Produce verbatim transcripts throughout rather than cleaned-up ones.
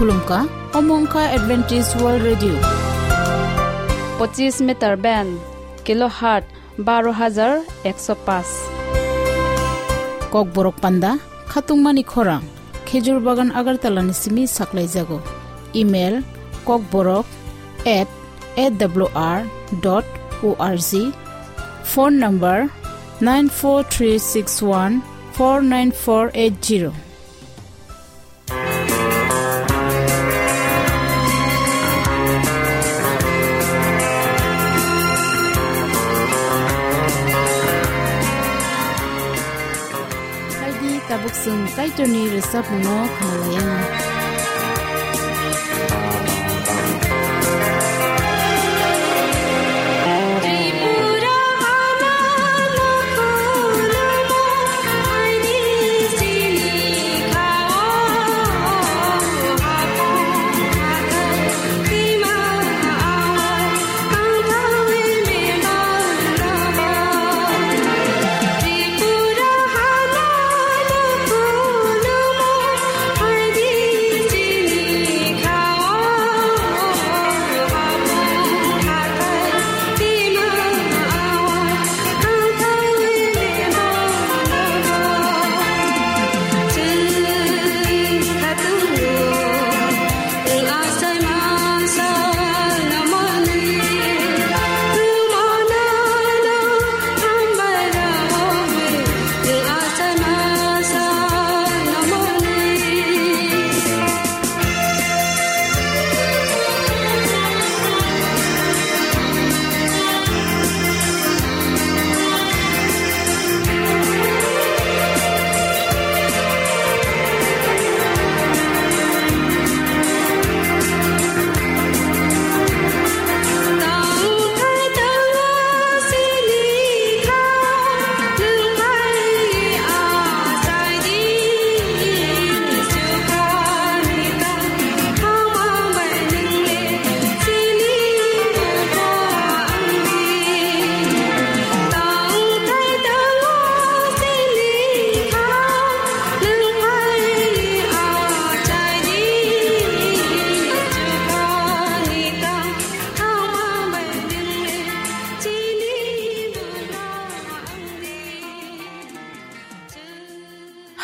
Khulumkha, omo wngkha Adventist World Radio. Pochis meter band, kilohertz baro hajar ekso paanch. Kokborok panda, khatungmani khorang, Khejur Bagan Agartala ni simi saklaijago. Email, kokborok at A W R dot O R G. Phone number, nine four three six one four nine four eight zero. Phaidi tabuk chwng Kaitorni rwchapmungno khwnalaianw.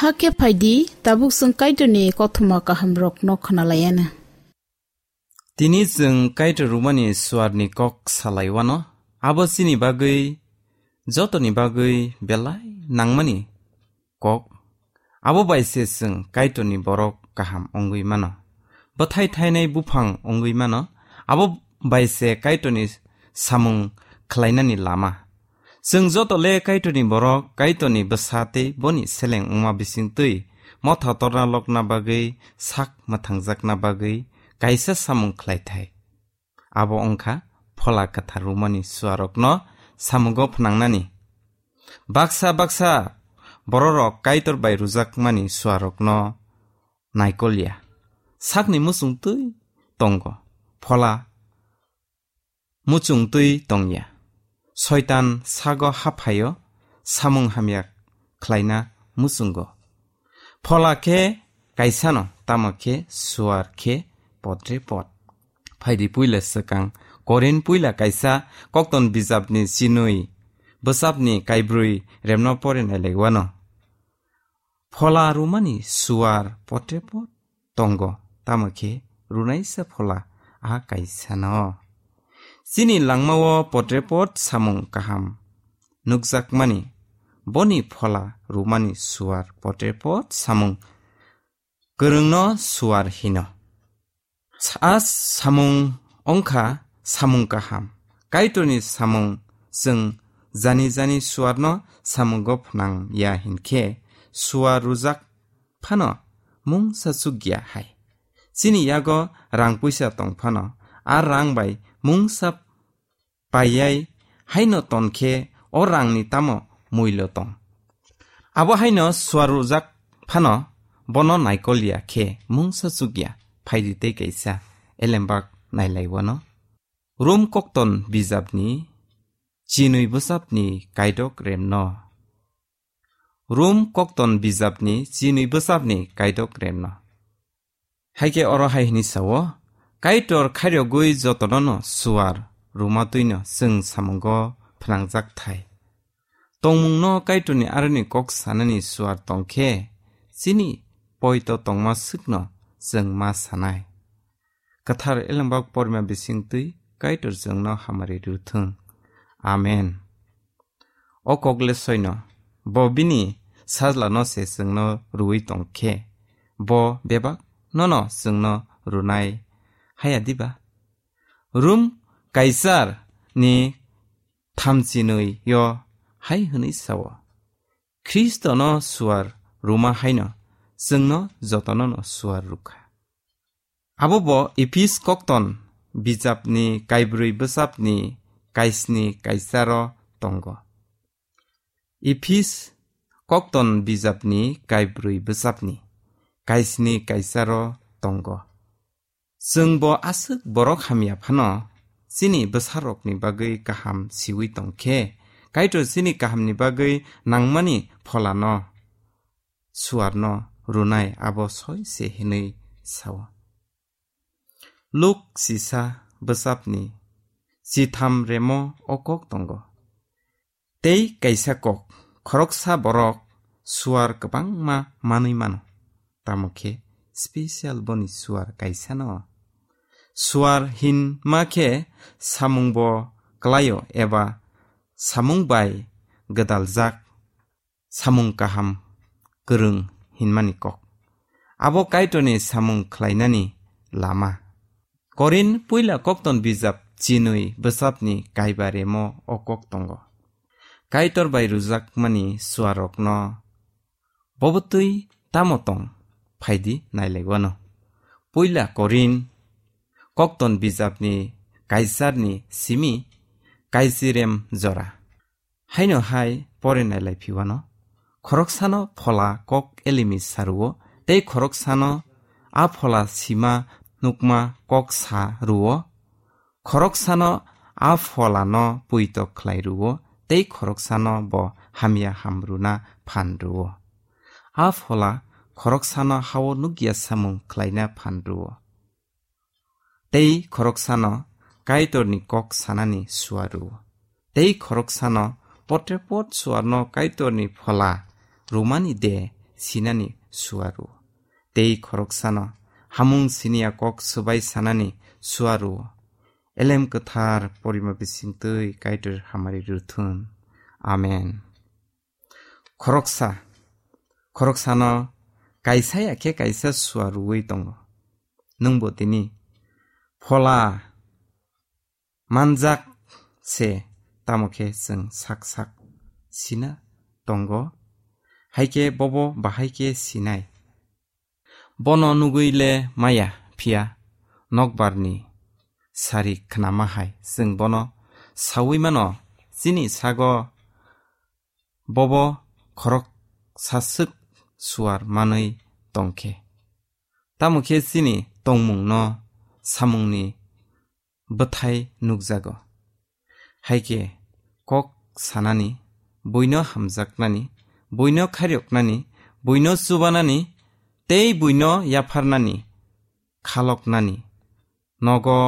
Hakhe phaidi, tabuk chwng Kaitorni kothoma kahamrokno khwnalaianw. Tini chwng Kaitor rwmani suarni kok salaiwano, abo chini bagwi, jotoni bagwi belai nangmani kok. Abo bai se chwng Kaitorni borok kaham wngwi mano. Bwthai thainai buphang wngwi mano. Abo bai se Kaitorni samung khlainani lama. Chwng joto le Kaitorni borok, Kaitorni bwsa tei boni seleng wngma bisingtwi motha torna lokna bagwi, sak mwthangjakna bagwi kaisa samung khlai thai. Abo wngkha Phola Kwthar rwmani suarokno samungo phnangnani. Baksa baksa bororok Kaitor bai rwjakmani suarokno naikol ya. Sakni muchung twi tongo, phola muchung twi tong ya. Soitan sago haphaio, samung hamya khlaina muchungo. Phola khe kaisano, tamo khe suar khe potre pot. Phaidi puila swkang Korin puila kaisa kokton bijapni chinwi bwsapni kaibrwi remno pore nailaiwano. Phola rwmani suar potre pot tongo, tamo khe rwnaisa phola a kaisano. Chini langmao potre pot samung kaham nukjakmani, boni phola rwmani suar potre pot samung kwrwngno suar hino. A samung wngkha samung kaham. Kaitorni samung chwng jani jani suarno samungo phnang ya hinkhe, suar rwjak phano mungsa chukya hai. Chini yago rang puisa tong phano, a rang bai mungsa paiyai haino ton khe o rangni tamo muilo tong? Abo haino suar rwjak phano bono naikol ya khe mungsa chukya. Phaidi tei kaisa elembak nailaiwano. Rom kokton bijapni chinwi bwsapni kaidok remno. Rom kokton bijapni chinwi bwsapni kaidok remno. Hai khe oro hai hwnwi sao, Kaitor khairogwi jotono'-no suar rwma twino chwng samungo phnangjak thai. Tongmungno Kaitorni aroni kok sanani suar tong khe, chini poito tongma swkno chwng ma sanai. Kwthar Elembak porima bisingtwi Kaitor chwngno hamari rw thung. Amen. O kok le soino, bo bini sajlano se chwngno rwui tong khe, bo bebak nono chwngno rwnai haya diba? Rum Kaisar ni thamchinwi yo hai hwnwi sao, Khristono suar rwma haino chwngno jotono'-no suar rwkha. Abo bo Ephis kokton bijapni kaibrwi bwsapni kaisni kaisaro tongo. Ephis kokton bijapni kaibrwi bwsapni kaisni kaisaro tongo. Chwng bo aswk borok hamya phano chini bwsarokni bagwi kaham siwi tong khe, Kaitor chini kahamni bagwi nangmani pholano suarno rwnai abo soi se hwnwi sao. Luk sisa bwsapni chitham remo o kok tongo. Tei kaisa kok, khoroksa borok suar kwbangma manwi mano, tamo khe special boni suar kaisano. Suar hinma khe samung bo klaio eba samung bai gwdaljak samung kaham kwrwng hinmani kok. Abo Kaitorni samung khlainani lama. Korin puila kokton bijap chinwi bwsapni kaiba remo o kok tongo. Kaitor bai rwjakmani suarokno bobotwi tamo tong phaidi nailaiwano. Puila Korin kokton bijapni kaisarni simi kaisirem jora. Haino hai pore nailai phiwano. Khoroksano phola kok elimi saruo, tei khoroksano a phola sima nukma kok sa ruo. Khoroksano a pholano puitok khlai ruo, tei khoroksano bo hamya hamruna phan ruo. A phola khoroksano hao nukya samung khlaina phan ruo. Tei khoroksano Kaitorni kok sanani suaru. Tei khoroksano potrepot suarno Kaitorni phola rumani de sinani suaru. Tei khoroksano hamung siniya kok swbai sanani suaru. Elem kwthar porima bisingtwi Kaitor hamari ruthun. Amen. Khoroksa, khoroksano kaisa ya khe kaisa suaruwi tongo. Nwngbo tini phola manjak se, tamo khe chwng sak sak sina tongo, hai khe bobo bahai khe sinai. Bono nugwi le maya, phiya nokbarni sari khnama hai chwng bono saui mano, chini sago bobo khoroksa swk suar manwi tong khe. Tamo khe chini tongmungno samungni bwthai nukjago. Hai khe kok sanani, buino hamjaknani, buino khairoknani, buino chubanani tei buino yapharnani, khaloknani. Nogo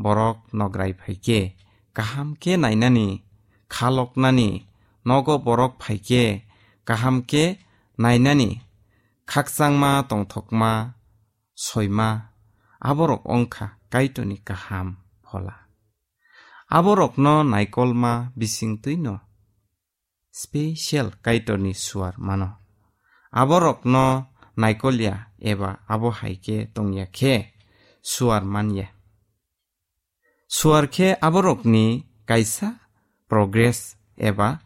borok nograi phai khe kaham khe nainani, khaloknani, nogo borok phai khe kaham khe nainani, khakchangma tongthokma soima, aborok wngkha Kaitorni kaham phola. Aborokno naikolma bisingtwino special Kaitorni suar mano. Aborokno naikolya eba abo hai khe tongya khe suar manya. Suar khe aborokni kaisa progress eba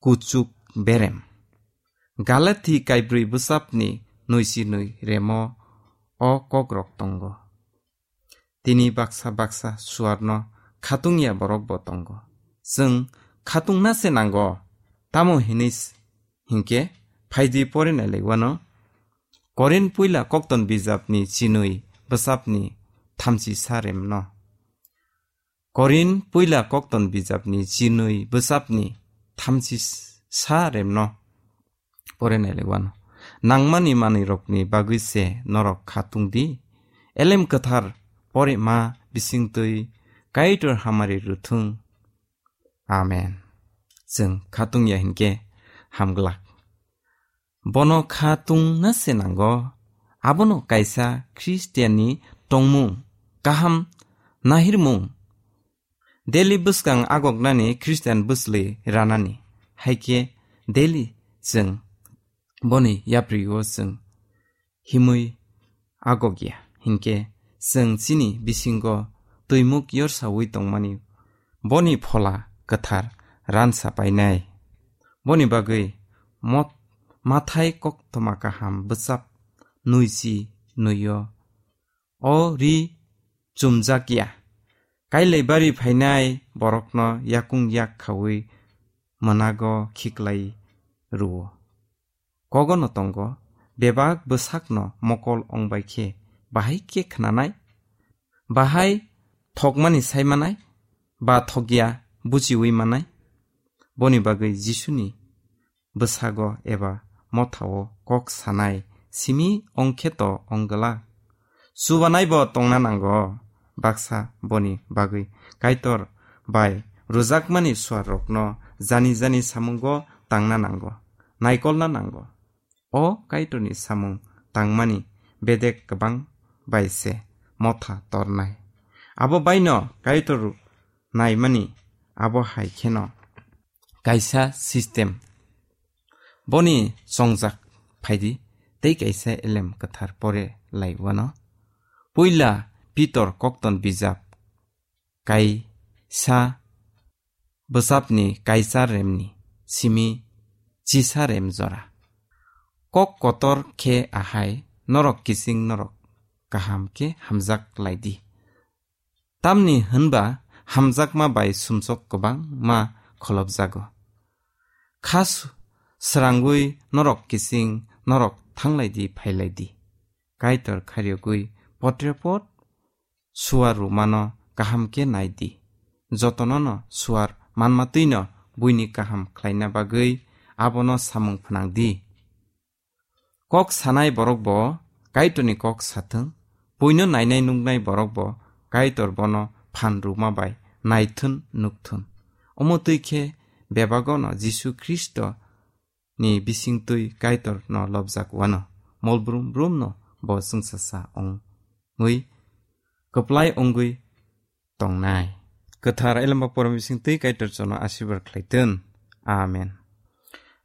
kuchuk berem. Galati kaibrwi bwsapni nwichi nwi remo o kokrok tongo. Tini baksa baksa suarno khatungya borok bo tongo. Chwng khatungna se nango. Tamo hinwi s-, hinkhe phaidi pore nailaiwano. Korin puila kokton bijapni chinwi bwsapni thamchi sa remno. Korin puila kokton bijapni chinwi bwsapni thamchi sa remno pore nailaiwano. nangmani manwirokni bagwi se norok kha tungdi. Elem kwthar porima bisingtwi Kaitor hamari rwthwng. Amen. Chwng kha tungya hinkhe hamglak. Bono kha tungna se nango. Abono kaisa Khristianni tongmung, kaham nahirmung, daily bwskang agoknani Khristian bwsli ranani. Haikhe daily chwng boni yaprio chwng himwi agokya. Hinkhe chwng chini bisingo twimuk yorsawi tongmani boni phola kwthar ransa painai. Boni bagwi mot-, Mathai koktwma kaham bwchap nuichi nuio. O ri chumjakya. Kailai bari phainai borokno yakung yak khaui mwnago khiklai rwo. Kogono tongo, bebak bwsakno mokol ongbai khe bahai khe khnanai, bahai thokmani sai manai, ba thokya buchiui manai. Boni bagwi Jisuni bwsago eba mothao kok sanai simi ongkhe to ongglak. Chubanaibo tongna nango, baksa boni bagwi Kaitor bai rwjakmani suarrokno jani jani samungo tangna nango, naikolna nango. O Kaitorni samung tangmani bedek kwbang bai se motha tornai. Abo baino Kaitor naimani abo hai kheno kaisa system. Boni chongjak phaidi tei kaisa elem kwthar pore lai wano. Puila Pitor kokton bijap kaisa bwchapni kaisa remni simi chisa rem jora. Kok kotor khe ahai, norok kiching norok kaham khe hamjak lai di. Tamni hwnba hamjakma bai sumsok kwbangma kholopjago. Kha su-, srangwi norok kiching norok thanglai di, phailai di. Kaitor khairogwi potrepot suar rwmano kaham khe nai di. Jotonono suar manmatwino buini kaham khlaina bagwi abono samung phnang di. Kok sanai borok bo Kaitorni kok sathwng, buino nainai nuknai borok bo Kaitor bono phan rwma bai naithun nukthun. Omo twi khe bebagono Jisu Khristo ni bisingtwi Kaitor no lobjak wano, molbrum brum no bo chwngsacha ongwi kwplai ongwi tongnai. Kwthar elembak porom bisingtwi Kaitor chono asirbar khlai tun. Amen.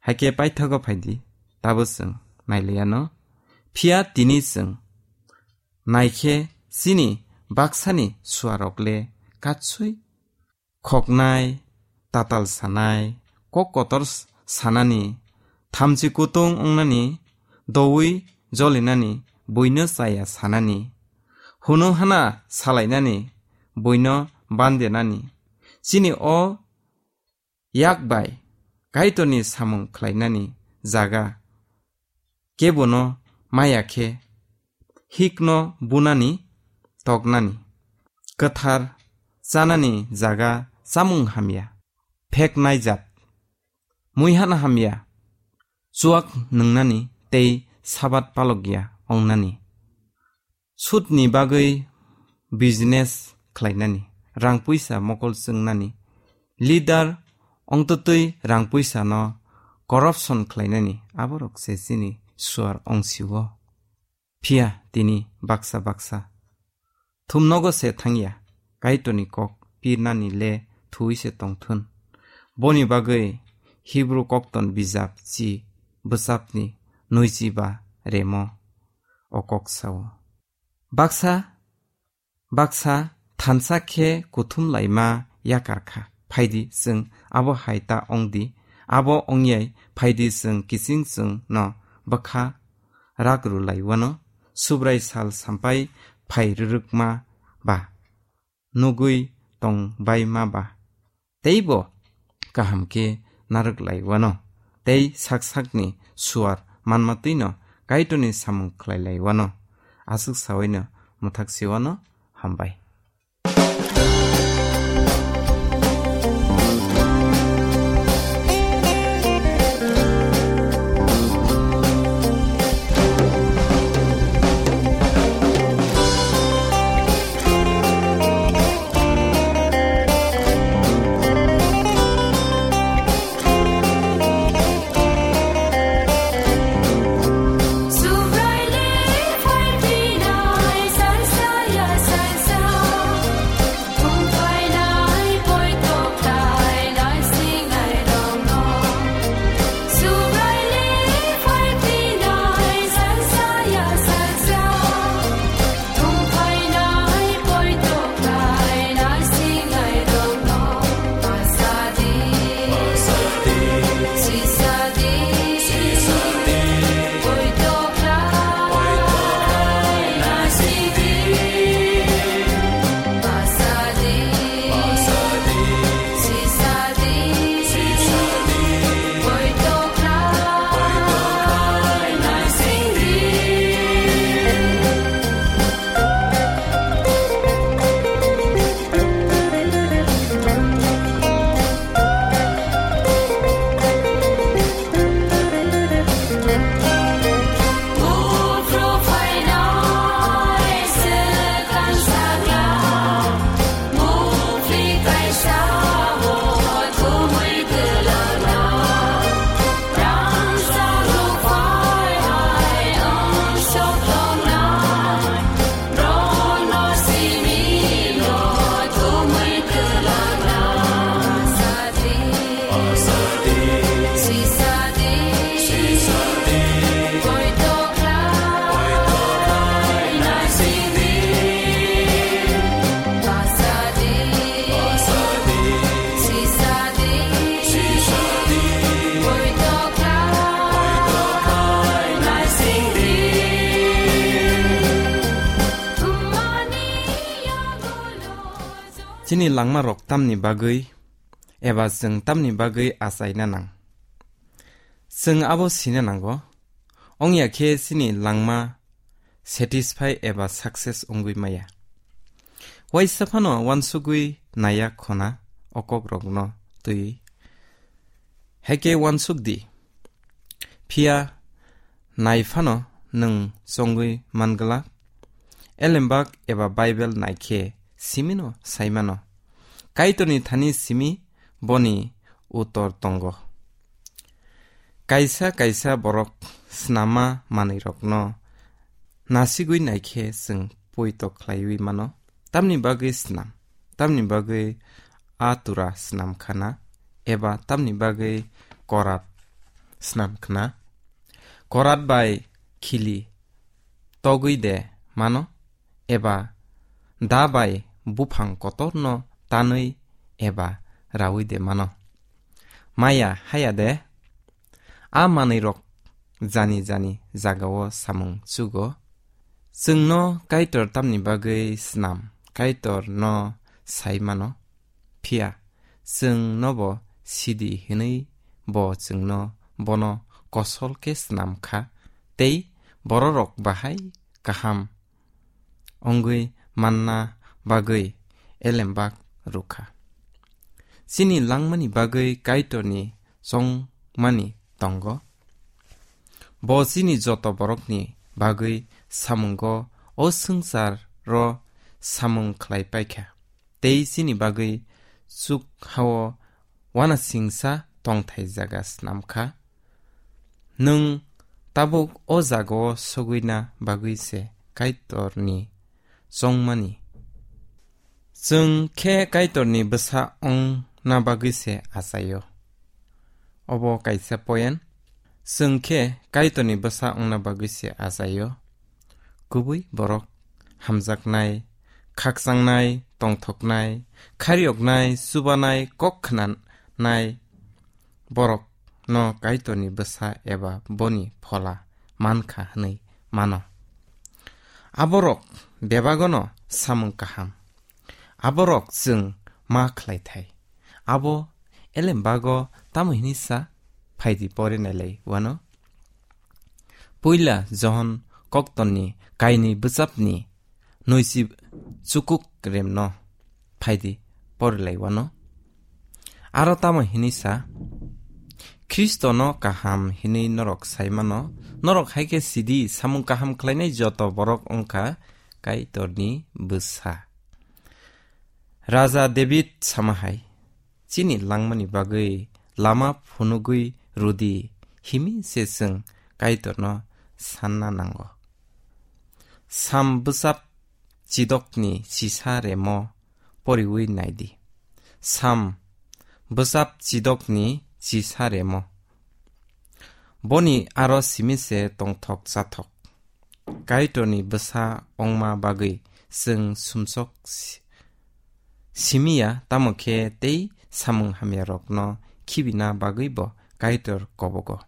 Haikhe paithago phaidi, tabo chwng nailiyano. Phiya tini chwng naikhe chini baksani suarok le katsui khoknai, tatal sanai, kok kotor s-, sanani, thamchi kutung wngnani, doui jolinani, buino chaya sanani, hunu hana salainani, buino bandenani, chini o yak bai Kaitorni samung khlainani jaga kebono maya khe, hikno bunani, toknani, kwthar chanani jaga chamung hamya, pheknai jat, muihan hamya, chuak nwngnani tei sabat palokya ongnani. Sudni bagwi business khlainani, rang puisa mokol chwngnani, leader ongtwtwi rang puisano corruption khlainani, aborok se chini suar ongsio. Phiya tini baksa baksa thumnogo se thangya, Kaitorni kok pirnani le thuwi se tongthun. Boni bagwi Hibru kokton bijap chi bwchapni nwichi ba remo o kok sao. Baksa baksa thansa khe kuthum laima yakar kha. Phaidi chwng abo hai ta ong di, abo ong yai phaidi chwng kiching chwng no bwkha rak rw lai wano, Subrai sal sampai phai rwrwkma ba, nugwi tong bai ma ba. Teibo kaham khe narwk lai wano, tei sak sakni suar manmatwino Kaitorni samung khlai lai wano. Aswk sawaino mwthak se wano. Hambai. Chini langmarok tamni bagwi eba chwng tamni bagwi achaina nang? Chwng abo sina nango, wngya khe chini langma satisfy eba success wngwi maya. Waisa phano uansugwi naiya khona o kokrokno twiwi. Haikhe uansuk di. Phiya nai phano nwng chongwi man glak. Elembak eba Bible nai khe simino sai mano. Kaitorni thani simi boni utor tongo. Kaisa kaisa borok snamma manwirokno nasigwi nai khe chwng poito khlaiwi mano. Tamni bagwi snam? Tamni bagwi a tura snam khana, eba tamni bagwi korat snam khna? Korat bai khili togwi de mano, eba da bai buphang kotorno tanwi eba rawi de mano? Maya haya de, a manwirok jani jani jagao samung chugo. Chwngno Kaitor tamni bagwi snam, Kaitorno sai mano. Phiya chwng nobo sidi hwnwi bo chwngno bono kosol khe snam kha, tei bororok bahai kaham wngwi manna bagwi elembak rwkha. Chini langmani bagwi Kaitorni chongmani tongo. Bo chini joto borokni bagwi samungo o swngcharo samung khlai paikha, tei chini bagwi chuk hao uanasingcha tongthai jaga snam kha. Nwng tabuk o jagao sogwina bagwi se Kaitorni chongmani. Chwng khe Kaitorni bwsa wngna bagwi se achaio. Obo kaisa point. Chwng khe Kaitorni bwsa wngna bagwi se achaio. Kubui borok hamjaknai, khakchangnai, tongthoknai, khairiyoknai, chubanai, kok khnanai borokno Kaitorni bwsa eba boni phola mankha hwnwi mano. Aborok bebagono samung kaham. Aborok chwng ma khlaithai. Abo elembago tamo hini sa? Phaidi pore nailai wano. Puila Johon koktonni kaini bwchapni noisi chukuk remno phaidi pore lai wano. Aro tamo hini sa? Khristono kaham hinwi norok sai mano. Norok hai khe sidi, samung kaham khlainai joto borok wngkha Kaitorni bwsa. Raja David sama hai, "Chini langmani bagwi lama phunugwi rwdi," himi se chwng Kaitorno sanna nango. Sam bwchap chidokni chisa remo poriwi naidi. Sam bwchap chidokni chisa remo. Boni aro simi se tongthok chathok. Kaitorni bwsa wngma bagwi chwng sumsok si-, simiya, tamo khe tei samung hamyarokno khibina bagwibo Kaitor kobogo.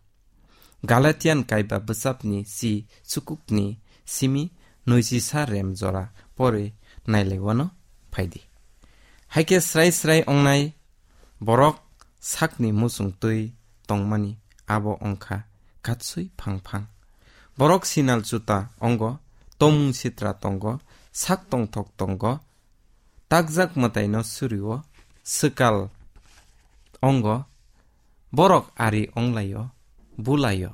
Galatian kaiba bwchapni si chukukni simi noisisa rem jora pore nailaiwano phaidi. Haikhe srai srai ongnai borok sakni muchung twi tongmani abo ongkha katsui phang phang. Borok sinal chuta ongo, tomung sitra tongo, sak tongthok tongo, takjak mwtaino surio, swkal ongo, borok ari onglaio, bulaio,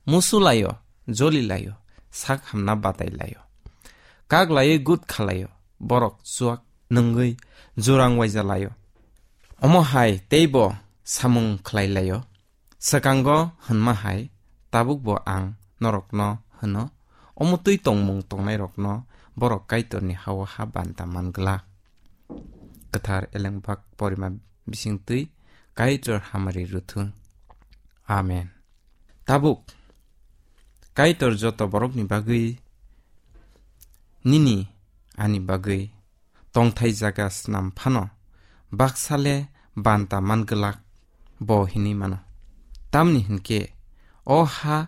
musulaio, jolilaio, sak hamna batailaio. Kaglaiwi gut khalaio, borok chuak nungwi jurang waijalaio. Omo hai teibo samung khlailaio. Swkango hwnma hai, tabukbo ang norokno hwno, omo twi tongmung tongnairokno borok Kaitorni ha-o ha banta man glak. Kwthar Elengbak porima bising twi Kaitor hamari rwthung. Amen. Tabuk Kaitor joto borokni bagwi, nini ani bagwi tongthai jaga snam phano, baksa le banta man glak bo hinwi mano. Tamni hinkhe o ha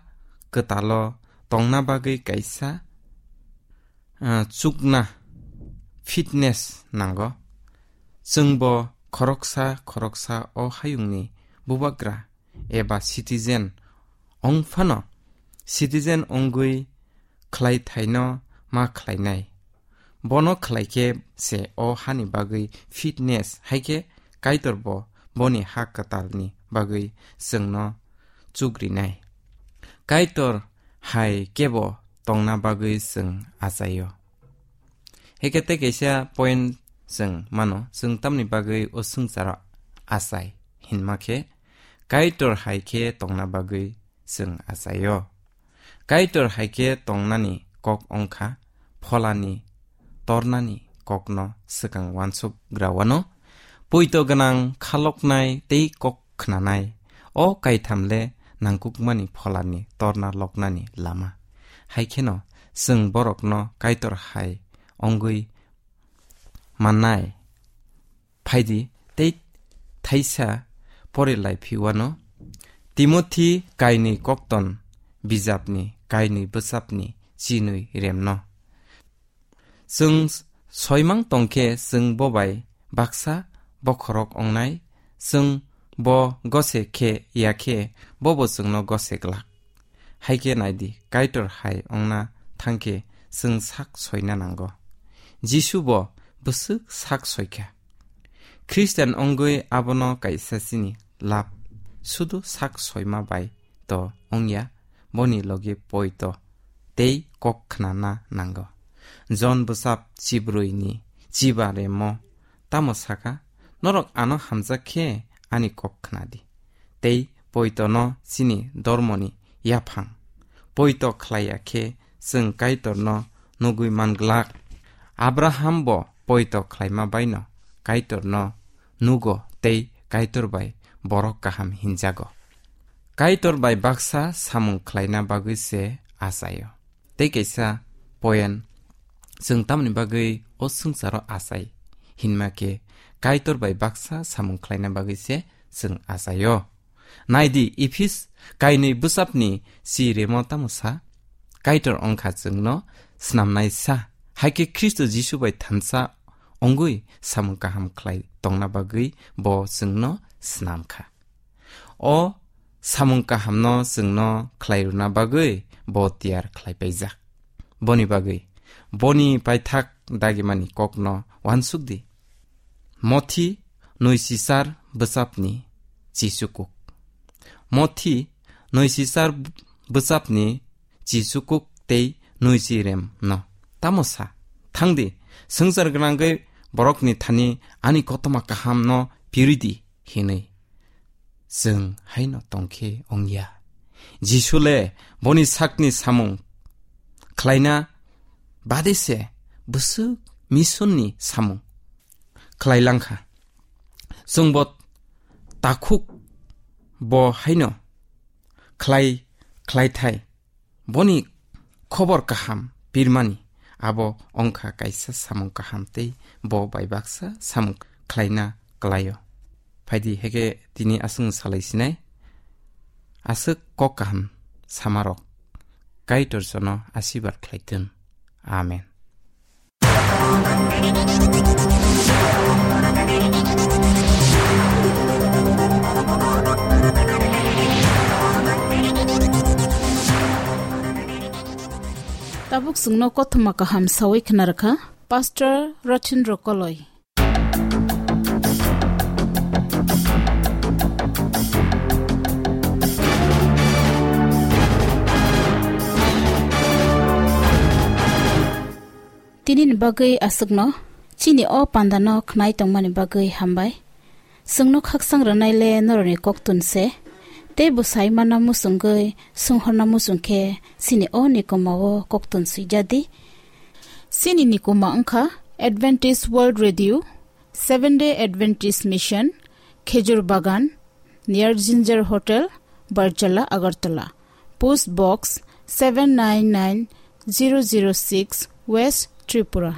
kwtalo tongna bagwi kaisa, ah, chukna fitness nango. Chwngbo khoroksa khoroksa o hayungni bubagra eba citizen wng phano, citizen wngwi khlaithaino ma khlainai. Bono khlaikhe se o hani bagwi fitness, haikhe Kaitorbo boni ha kwtalni bagwi chwngno chukrinai. Kaitor hai kebo tongna bagwi chwng achaio. Heke tei kaisa point chwng mano, chwng tamni bagwi o swngcharo achai hinma khe, Kaitor hai khe tongna bagwi chwng achaio. Kaitor hai khe tongnani kok wngkha pholani tornani kokno swkang uansuk grawano, poito gwnang khaloknai tei kok khnanai. O kaitham le nangkukmani pholani torna loknani lama. Hai kheno chwng borokno Kaitor hai wngwi mannai. Phaidi tei thaisa pore lai phiwano. Timothy kainwi kokton bijapni kainwi bwsapni chinwi remno. Chwng soimang tongkhe chwng bo bai baksa bokhorok wngnai, chwng bo gose khe ya khe bobo chwngno gose glak. Hai khe nai di, Kaitor hai wngna thang khe chwng sak soina nango. Jisu bo bwswk sak soikha. Khristian wngwi abono kaisa chini lab, sudu sak soima bai to wngya, boni logi poito tei kok khnana nango. Jon bwsap chibrwi ni chiba remo tamo saka, "Norok ano hamjak khe ani kok khna di, tei poito no chini dormo ni yaphang." Poito khlaiya khe chwng Kaitor no nugwi man glak. Abraham bo poito khlaima baino Kaitor no nugo tei Kaitor bai borok kaham hinjago. Kaitor bai baksa samung khlaina bagwi se achaio. Tei kaisa point, chwng tamoni bagwi o swngcharo achai hinma khe Kaitor bai baksa samung khlaina bagwi se chwng achaio. Nai di, Ephis kainwi bwsapni si remo tamo sa? Kaitor wngkha chwngno snamnai sa, hai khe Khristo Jisu bai thansa wngwi samung kaham khlai tongna bagwi bo chwngno snam kha. O samung kahamno chwngno khlai rwna bagwi bo tiyar khlai paijak. Boni bagwi boni paithak dagimani kokno uansuk di. Mothi nwi sisar bwsapni chisukuk. Mothi nwi sisar bwsapni chisukuk tei nwi si rem no. Tamo sa, "Thang di, swngchar gwnangwi borokni thani ani kothoma kaham no pirwi di," hinwi. Chwng haino tongkhe wngya. Jisu le boni sakni samung khlaina bade se bwswk mission ni samung khlai langkha. Chwngbo takhuk bo haino khlai, khlai thai. Boni khobor kaham pirmani abo wngkha kaisa samung kaham tei bo bai baksa samung khlaina klaio. Phaidi heke tini aswng salai sinai. Aswk kok kaham samarok Kaitor jono asibar khlaitun. Amen. Tabuk chwngno kothoma kaham sawi khna rwkha Pastor Rothin Rokoloi. Tini ni bagwi aswkno, chini o panda no khnai tongmani bagwi hambai. Chwngno khaksang rwnai le norokni koktun se, tei bwsai mana muchungwi swnghorna muchung khe chini o nikoma o koktun swijadi. Chini nikoma wngkha Adventist World Radio, Seven Day Adventist Mission, Khejur Bagan, near Ginger Hotel, Barjala, Agartala. Post Box seven nine nine zero zero six, West Tripura.